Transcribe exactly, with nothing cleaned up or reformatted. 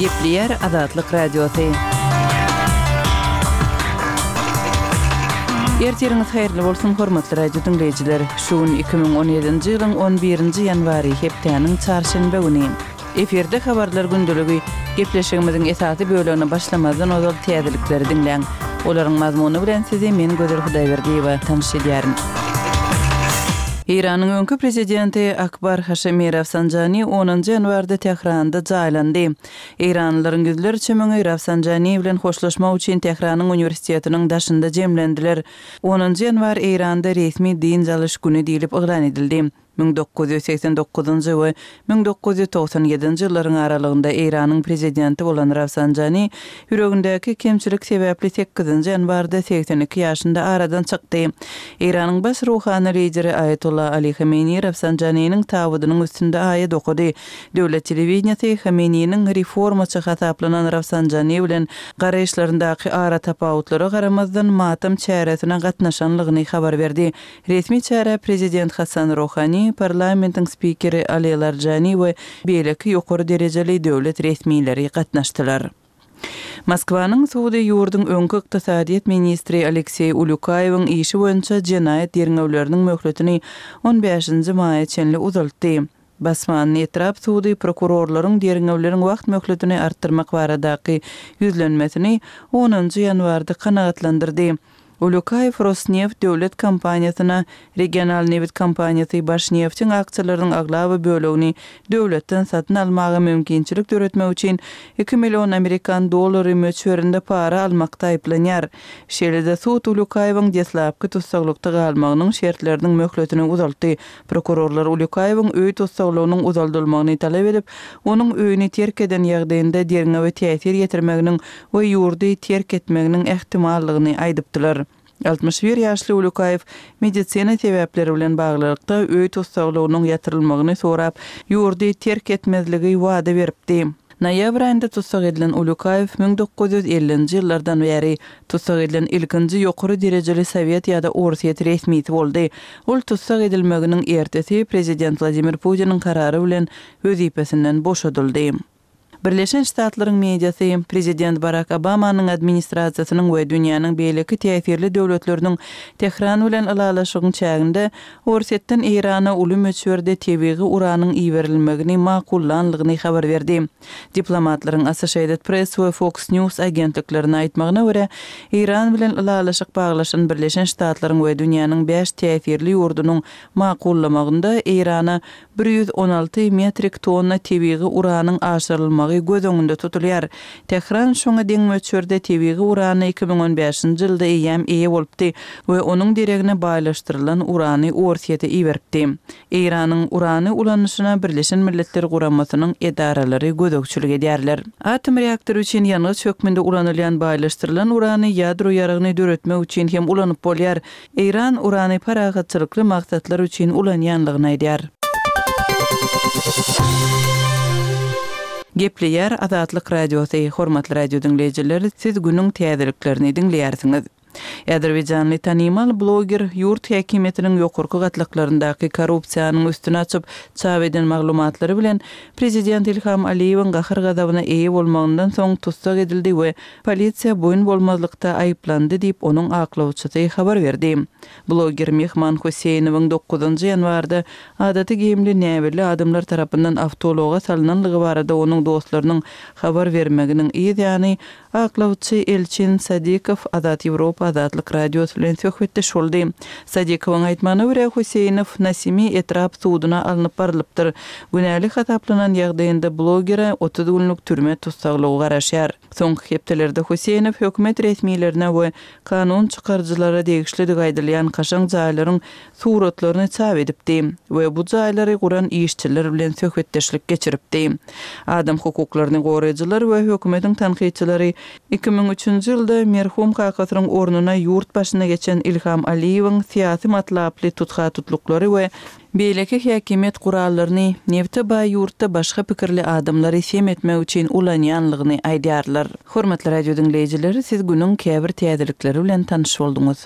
Gepleýär Azatlyk Radiosy. Ertiriňiz haýyrly bolsun, hormatly radio diňleýjiler! Şu gün iki müň on ýedinji ýylyň on birinji ýanwary, hepdäniň çarşenbe güni. Efirde Habarlar gündeligi. Gepleşigimiziň esasy bölegine başlamazdan ozal täzelikleri diňläň. Olaryň mazmuny bilen sizi men Gözel Hudaýberdiýewa tanyş edýärin. Eýranyň öňki prezidenti Akbar Haşemi Rafsanjani onunjy ýanwarda Tähranda jaýlandy. Eýranlylaryň ýüzlerçe müňi Rafsanjani bilen hoşlaşmak üçin Tähranyň uniwersitetiniň daşynda jemlendiler. Onunjy ýanwar Eýranda resmi dynç alyş güni diýlip yglan edildi. Müň dokuz ýüz segsen dokuzynjy we müň dokuz ýüz togsan ýedinji ýyllaryň aralygynda Eýranyň prezidenti bolan Rafsanjani ýüregindäki kemçilik sebäpli sekizinji ýanwarda segsen iki ýaşynda aradan çykdy. Eýranyň baş ruhany lideri Aýatolla Ali Hameneýi Rafsanjaniniň tabydynyň üstünde aýat okady. Döwlet telewideniýesi Hameneýiniň reformaçy hasaplanan Rafsanjani bilen garaýyşlaryndaky aratapawutlara garamazdan matam çäresine gatnaşanlygyny habar berdi. Resmi çärä prezident Hasan Rohani, parlamentiň spikeri Ali Larjani we beýleki ýokary derejeli döwlet resmileri gatnaşdylar. Moskwanyň sudy ýurduň öňki ykdysadyýet ministri Alekseý Ulýukaýewiň işi boýunça jenaýat derňewleriniň möhletini on bäşinji maýa çenli uzaltdy. Basmanny etrap sudy prokurorlaryň derňewleriň wagt möhletini artdyrmak baradaky ýüzlenmesini onunjy ýanwarda kanagatlandyrdy. Ulýukaýew Rosneft döwlet kompaniýasyna, regional nebit kompaniýasy Başneftiň aksiýalarynyň aglaba bölegini döwletden satyn almaga mümkinçilik döretmek üçin iki million amerikan dollary möçberinde para almakda aýyplanýar. Şeýle-de sud Ulýukaýewiň deslapky tussaglykda galmagynyň şertleriniň möhletini uzaltdy. Prokurorlar Ulýukaýewiň öý tussaglygynyň uzaldylmagyny talap edip, onuň öýüni terk eden ýagdaýynda derňewe täsir ýetirmeginiň we ýurdy terk etmeginiň ähtimallygyny aýdypdylar. Altmyş bir ýaşly Ulýukaýew medisina sebäpleri bilen baglylykda öý tussaglygynyň ýatyrylmagyny sorap, ýurdy terk etmezligi wada beripdi. Noýabr aýynda tussag edilen Ulýukaýew müň dokuz ýüz ellinji ýyllardan bäri tussag edilen ilkinji ýokary derejeli sowet ýa-da orsýet resmisi boldy. Ol tussag edilmeginiň ertesi prezident Wladimir Putiniň karary bilen wezipesinden boşadyldy. Birleşen Ştatlaryň mediasy prezident Barak Obamanyň administrasiýasynyň we dünýäniň beýleki täsirli döwletleriniň Tähran bilen ylalaşygyň çäginde Orsýetden Eýrana uly möçberde tebigy uranyň iberilmegini makullanlygyny habar berdi. Diplomatlaryň Associated Press we Fox News agentliklerine aýtmagyna görä, Eýran bilen ylalaşyk baglaşan Birleşen Ştatlaryň we dünýäniň bäş täsirli ýurdunyň makullamagynda Eýrana bir ýüz on alty metrik tonna tebigy uranyň aşyrylmagy göz öňünde tutulýar. Tähran şoňa deň möçberde tebigy urany iki müň on bäşinji ýylda eýýäm eýe bolupdy we onuň deregine baýlaşdyrylan urany Orsýete iberipdi. Eýranyň urany ulanyşyna Birleşen Milletler Guramasynyň edaralary gözegçilik edýärler. Atom reaktory üçin ýangyç hökmünde ulanylýan baýlaşdyrylan urany ýadro ýaragyny döretmek üçin hem ulanyp bolýar. Eýran urany parahatçylykly maksatlar üçin ulanýanlygyny aýdýar. Gepleýär Azatlyk Radiosy. Hormatly radio diňleýjiler, siz günüň täzeliklerini diňleýärsiňiz. Azerbaýjanly tanymal bloger ýurt häkimiýetiniň ýokarky gatlaklaryndaky korrupsiýanyň üstüni açyp, çap eden maglumatlary bilen prezident Ilham Aliýewiň gahar-gazabyna eýe bolmagyndan soň tussag edildi we polisiýa boýun bolmazlykda aýyplandy diýip, onuň aklawçysy habar berdi. Bloger Mehman Huseýnowyň dokuzynjy ýanwarda adaty geýimli näbelli adamlar tarapyndan awtoulaga salynanlygy barada onuň dostlarynyň habar bermeginiň yz ýany aklawçy Elçin Sadikow Azat Ýewropa Azatlyk Radiosy bilen söhbetdeş boldy. Sadikowyň aýtmagyna görä, Huseýnow Nasimi etrap suduna alnyp barylypdyr. Günäli hasaplanan ýagdaýynda blogere otuz günlük türme tussaglygy garaşýar. Soňky hepdelerde Huseýnow hökümet resmilerine we kanun çykaryjylara degişlidigi aýdylýan kaşaň jaýlaryň suratlaryny çap edipdi we bu jaýlary guran işçiler bilen söhbetdeşlik geçiripdi. Adam hukuklaryny goraýjylar we hökümetiň tankytçylary iki müň üçünji ýylda merhum kakasynyň ornuna ýurt başyna geçen Ilham Aliýewiň syýasy matlaply tutha-tutluklary we beýleki häkimiýet gurallaryny nebte baý ýurtda başga pikirli adamlary sem etmek üçin ulanýanlygyny aýdýarlar. Hormatly radio diňleýjiler, siz günüň käbir täzelikleri bilen tanyş bolduňyz.